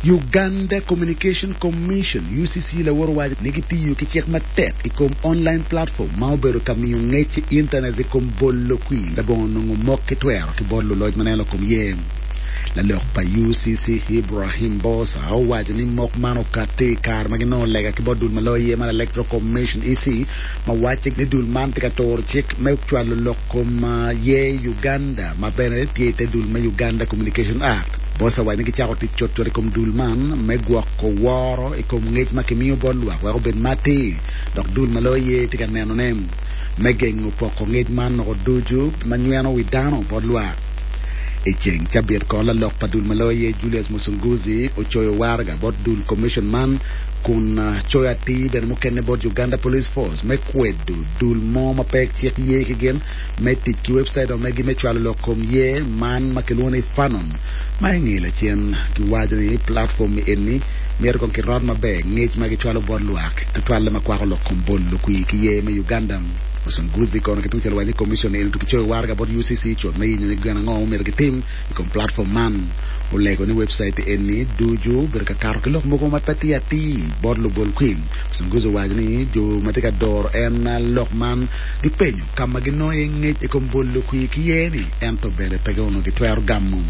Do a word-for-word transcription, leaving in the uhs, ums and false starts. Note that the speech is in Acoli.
Uganda Communication Commission U C C lawor owaco ni gitiyo ki cik matek i kom online platform ma obedo ka miyo ngec i internet i kom bolo kwir labongo nongo mok ki twero ki bot luloc ma neno kom ye. Lalok pa U C C Ibrahim Bosa owaco ni mok man okati i kare ma ginongo lega ki bot dul ma loyo ye man Electoral Commission E C ma waco ni dul man tye ka turo cik me cwalo lok kom ye Uganda ma bene tye i te dul me Uganda Communication Act. Bosa waco ni gicako tic cutcut i kom dul man me gwoko woro i kom ngec ma kimiyo bot lwak wek obed matir dok dul ma loyo ye tye ka nenone me gengo poko ngec man noko ducu ma nyweno wi dano bot lwak. I ceng cabit kono lalok pa dul ma loyo ye Julius Musunguzi ocoyo waraga bot dul commission man kun coyo atir bene mukene bot Uganda Police Force me kwedo dul mo ma pe cik ye ki gin me tic ki website omegi me cwalo lok kom ye man ma kilwongo ni Fanon ma inge lacen kiwaco ni platform eni myero kong kirot maber ngec ma gicwalo bot lwak tutwalle ma kwako lok kom bolo kwir ki ye me Uganda. Musunguzi kono ki tungcel owaco ni commission eni to kicoyo waraga bot U C C cut me yenyo ni gin ango myero gitim i kom platform man. Olego ni website eni ducu obedo ka kato ki lok mogo ma pe tye atir bot lubol kwir. Musunguzi owaco ni jo ma tye ka doro en lok man gipenyo ka ma ginongo iye ngec i kom bolo kwir ki ye ni ento bene pe onongo gitwero gamo.